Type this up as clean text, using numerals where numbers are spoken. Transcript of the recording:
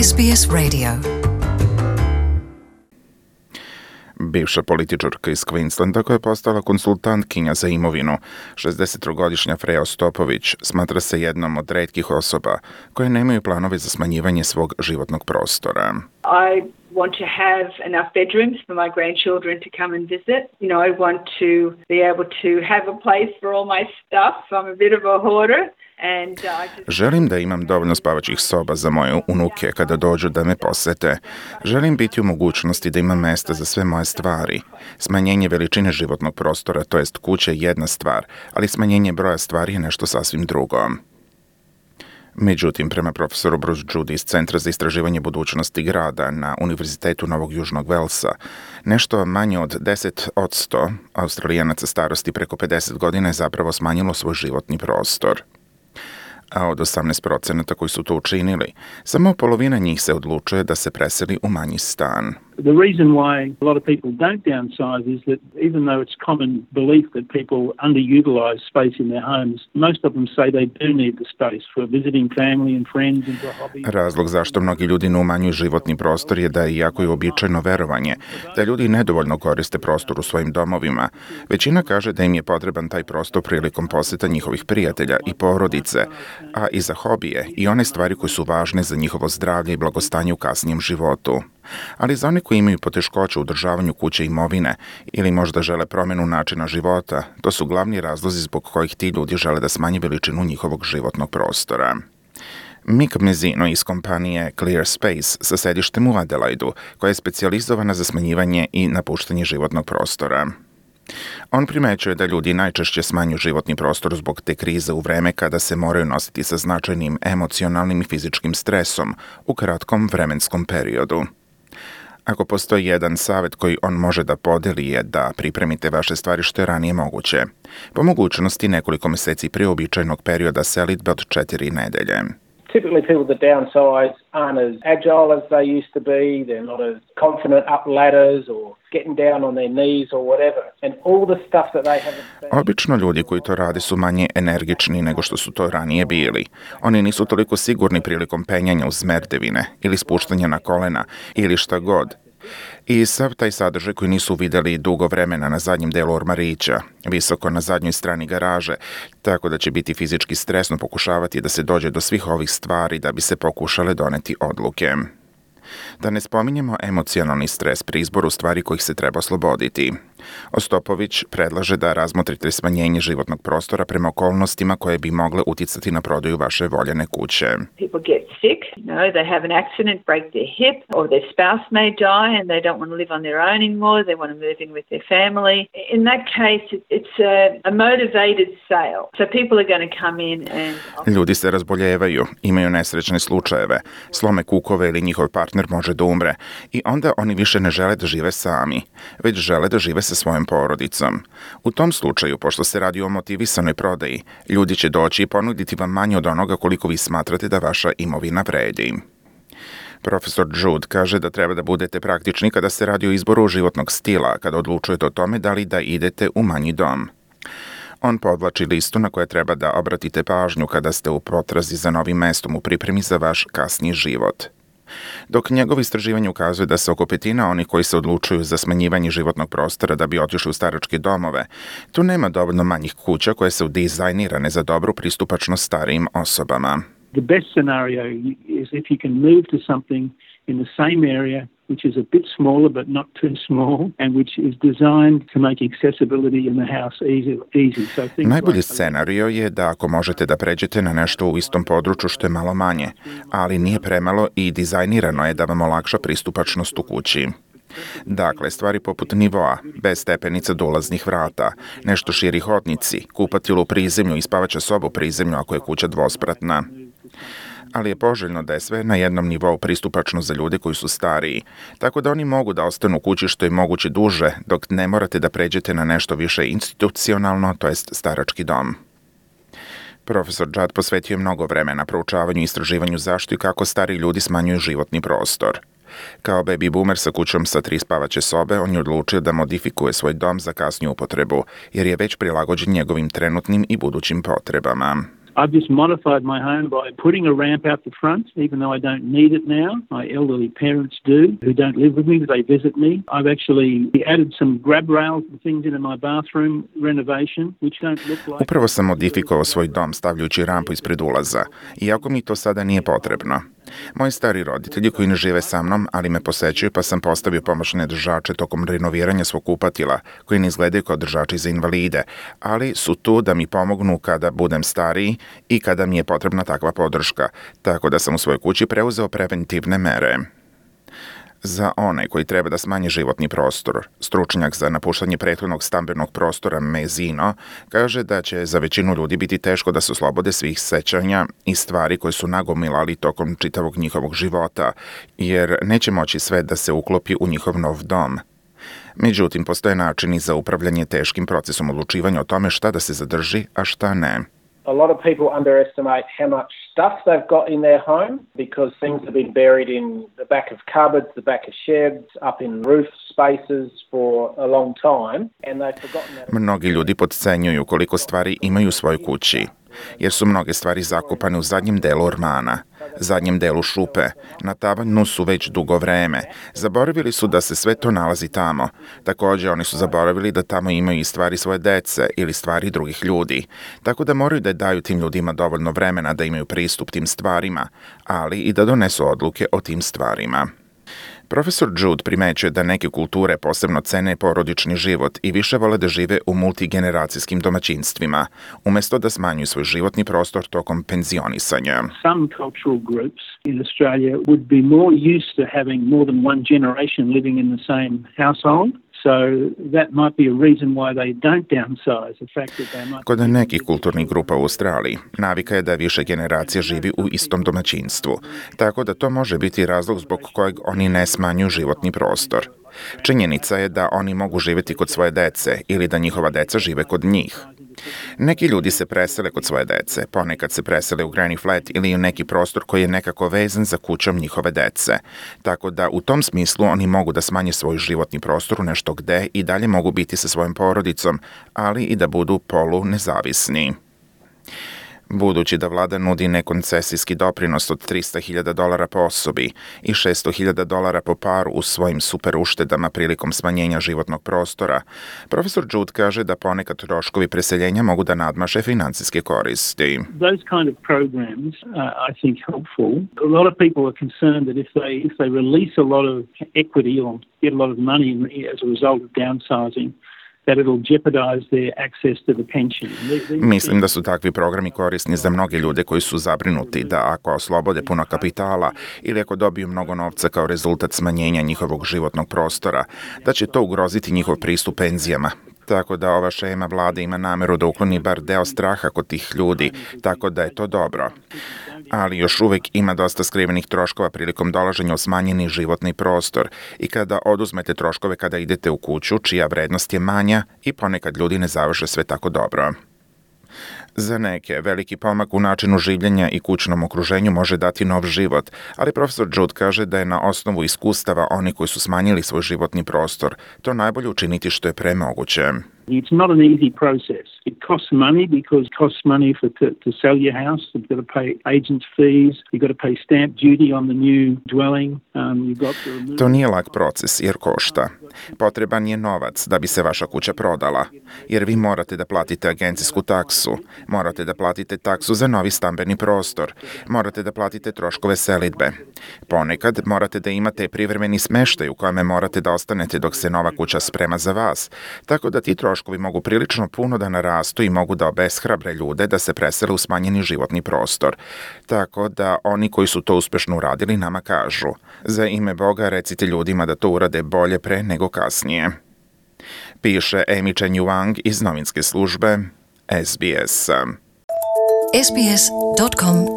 SBS Radio. Bivša političarka iz Queenslanda koja je postala konsultantkinja za imovinu, 63-godišnja Freja Ostopović, smatra se jednom od retkih osoba koje nemaju planove za smanjivanje svog životnog prostora. I want to have enough bedrooms for my grandchildren to come and visit. I want to be able to have a place for all my stuff. I'm a bit of a hoarder. Želim da imam dovoljno spavaćih soba za moje unuke kada dođu da me posete. Želim biti u mogućnosti da imam mesta za sve moje stvari. Smanjenje veličine životnog prostora, to jest kuće, je jedna stvar, ali smanjenje broja stvari je nešto sasvim drugo. Međutim, prema profesoru Bruce Judy iz Centra za istraživanje budućnosti grada na Univerzitetu Novog Južnog Velsa, nešto manje od 10% Australijanaca starosti preko 50 godina je zapravo smanjilo svoj životni prostor. A od 18% koji su to učinili, samo polovina njih se odlučuje da se preseli u manji stan. The reason why a lot of people don't downsize is that even though it's common belief that people underutilize space in their homes, most of them say they do need the space for visiting family and friends and for hobbies. Razlog zašto mnogi ljudi ne umanjuju životni prostor je da, iako je uobičajeno verovanje da ljudi nedovoljno koriste prostor u svojim domovima, većina kaže da im je potreban taj prostor prilikom poseta njihovih prijatelja i porodice, a i za hobije i one stvari koje su važne za njihovo zdravlje i blagostanje u kasnijem životu. Ali za one koji imaju poteškoće u održavanju kuće i imovine ili možda žele promjenu načina života, to su glavni razlozi zbog kojih ti ljudi žele da smanje veličinu njihovog životnog prostora. Mick Mezzino iz kompanije Clear Space sa sedištem u Adelaidu, koja je specijalizovana za smanjivanje i napuštanje životnog prostora. On primećuje da ljudi najčešće smanjuju životni prostor zbog te krize u vreme kada se moraju nositi sa značajnim emocionalnim i fizičkim stresom u kratkom vremenskom periodu. Ako postoji jedan savjet koji on može da podeli je da pripremite vaše stvari što je ranije moguće. Po mogućnosti nekoliko mjeseci prije uobičajenog perioda selidbe od 4 nedelje. Typically people that downsize aren't as agile as they used to be, they're not as confident up ladders or getting down on their knees or whatever. And all the stuff that they haven't. Obično ljudi koji to rade su manje energični nego što su to ranije bili. Oni nisu toliko sigurni prilikom penjanja uz merdevine ili spuštanja na kolena ili šta god. I sav taj sadržaj koji nisu vidjeli dugo vremena na zadnjem delu ormarića, visoko na zadnjoj strani garaže, tako da će biti fizički stresno pokušavati da se dođe do svih ovih stvari da bi se pokušale doneti odluke. Da ne spominjemo emocionalni stres pri izboru stvari kojih se treba osloboditi. Ostopović predlaže da razmotrite smanjenje životnog prostora prema okolnostima koje bi mogle uticati na prodaju vaše voljene kuće. People get sick, they have an accident, break their hip, or their spouse may die and they don't want to live on their own anymore, they want to move in with their family. In that case, it's a motivated sale. So people are going to come in and... Ljudi se razboljevaju, imaju nesrećne slučajeve, slome kukove ili njihov partner može da umre i onda oni više ne žele da žive sami, već žele da žive sa svojom porodicom. U tom slučaju, pošto se radi o motivisanoj prodaji, ljudi će doći i ponuditi vam manje od onoga koliko vi smatrate da vaša imovina vredi. Profesor Jude kaže da treba da budete praktični kada se radi o izboru životnog stila, kada odlučujete o tome da li da idete u manji dom. On podvlači listu na koje treba da obratite pažnju kada ste u potrazi za novim mestom u pripremi za vaš kasniji život. Dok njegovo istraživanje ukazuje da se oko petina onih koji se odlučuju za smanjivanje životnog prostora da bi otišli u staračke domove, tu nema dovoljno manjih kuća koje su dizajnirane za dobru pristupačnost starijim osobama. The best scenario is if you can move to something in the same area which is a bit smaller but not too small and which is designed to make accessibility in the house easy. Najbolji scenario je da ako možete da pređete na nešto u istom području što je malo manje, ali nije premalo i dizajnirano je da vam olakša pristupačnost u kući. Dakle, stvari poput nivoa, bez stepenica do ulaznih vrata, nešto širi hodnici, kupatilo u prizemlju i spavaća soba u prizemlju ako je kuća dvospratna. Ali je poželjno da je sve na jednom nivou pristupačno za ljude koji su stariji, tako da oni mogu da ostanu u kući što je moguće duže, dok ne morate da pređete na nešto više institucionalno, to jest starački dom. Profesor Judd posvetio je mnogo vremena proučavanju i istraživanju zašto i kako stari ljudi smanjuju životni prostor. Kao baby boomer sa kućom sa 3 spavaće sobe, on je odlučio da modifikuje svoj dom za kasniju upotrebu, jer je već prilagođen njegovim trenutnim i budućim potrebama. I've just modified my home by putting a ramp out the front, even though I don't need it now. My elderly parents do, who don't live with me, but they visit me. I've actually added some grab rails and things into my bathroom renovation, which don't look like... Upravo sam modifikovao svoj dom stavljajući rampu ispred ulaza, iako mi to sada nije potrebno. Moji stari roditelji koji ne žive sa mnom, ali me posećuju, pa sam postavio pomoćne držače tokom renoviranja svog kupatila, koji ne izgledaju kao držači za invalide, ali su tu da mi pomognu kada budem stariji i kada mi je potrebna takva podrška, tako da sam u svojoj kući preuzeo preventivne mere. Za one koji treba da smanje životni prostor, stručnjak za napuštanje prethodnog stambenog prostora Mezino kaže da će za većinu ljudi biti teško da se oslobode svih sećanja i stvari koje su nagomilali tokom čitavog njihovog života, jer neće moći sve da se uklopi u njihov nov dom. Međutim, postoje načini za upravljanje teškim procesom odlučivanja o tome šta da se zadrži, a šta ne. A lot of people underestimate how much stuff they've got in their home because things have been buried in the back of cupboards, the back of sheds, up in roof spaces for a long time, and they've forgotten that. Mnogi ljudi potcenjuju koliko stvari imaju u svojoj kući, jer su mnoge stvari zakopane u zadnjem delu ormana, zadnjem delu šupe, na tavanu su već dugo vreme. Zaboravili su da se sve to nalazi tamo. Također, oni su zaboravili da tamo imaju i stvari svoje dece ili stvari drugih ljudi. Tako da moraju da daju tim ljudima dovoljno vremena da imaju pristup tim stvarima, ali i da donesu odluke o tim stvarima. Profesor Jude primećuje da neke kulture posebno cene porodični život i više vole da žive u multigeneracijskim domaćinstvima, umjesto da smanjuju svoj životni prostor tokom penzionisanja. Some cultural groups in Australia would be more used to having more than one generation living in the same household. So that might be a reason why they don't downsize. The fact that they might... Kod nekih kulturnih grupa u Australiji navika je da više generacija živi u istom domaćinstvu, tako da to može biti razlog zbog kojeg oni ne smanjuju životni prostor. Činjenica je da oni mogu živjeti kod svoje dece ili da njihova deca žive kod njih. Neki ljudi se presele kod svoje dece, ponekad se presele u granny flat ili u neki prostor koji je nekako vezan za kućom njihove dece. Tako da u tom smislu oni mogu da smanje svoj životni prostor u nešto gde i dalje mogu biti sa svojom porodicom, ali i da budu polu nezavisni. Budući da vlada nudi nekoncesijski doprinos od $300,000 po osobi i $600,000 po paru u svojim super uštedama prilikom smanjenja životnog prostora, profesor Jude kaže da ponekad troškovi preseljenja mogu da nadmaše financijske koristi. Those kind of programs are, I think, helpful. A lot of people are concerned that if they release a lot of equity or get a lot of money as a result of downsizing, that it'll jeopardize their access to the pension. Mislim da su takvi programi korisni za mnoge ljude koji su zabrinuti da ako oslobode puno kapitala ili ako dobiju mnogo novca kao rezultat smanjenja njihovog životnog prostora, da će to ugroziti njihov pristup penzijama. Tako da ova šema vlade ima nameru da ukloni bar deo straha kod tih ljudi, tako da je to dobro. Ali još uvijek ima dosta skrivenih troškova prilikom dolaženja u smanjeni životni prostor i kada oduzmete troškove kada idete u kuću čija vrednost je manja i ponekad ljudi ne završe sve tako dobro. Za neke, veliki pomak u načinu življenja i kućnom okruženju može dati nov život, ali profesor Jude kaže da je na osnovu iskustava oni koji su smanjili svoj životni prostor to najbolje učiniti što je pre moguće. It's not an easy process. It costs money because it costs money to sell your house. You've got to pay agents' fees. You've got to pay stamp duty on the new dwelling. You've got to remove... To nije lak proces jer košta. Potreban je novac da bi se vaša kuća prodala, jer vi morate da platite agencijsku taksu, morate da platite taksu za novi stambeni prostor, morate da platite troškove selidbe. Ponekad morate da imate privremeni smeštaj u kojem morate da ostanete dok se nova kuća sprema za vas, tako da ti troškovi mogu prilično puno da narastu i mogu da obeshrabre ljude da se presele u smanjeni životni prostor. Tako da oni koji su to uspešno uradili nama kažu: za ime Boga recite ljudima da to urade bolje pre nego kasnije. Piše Amy Chen Yuang iz novinske službe SBS. sbs.com.au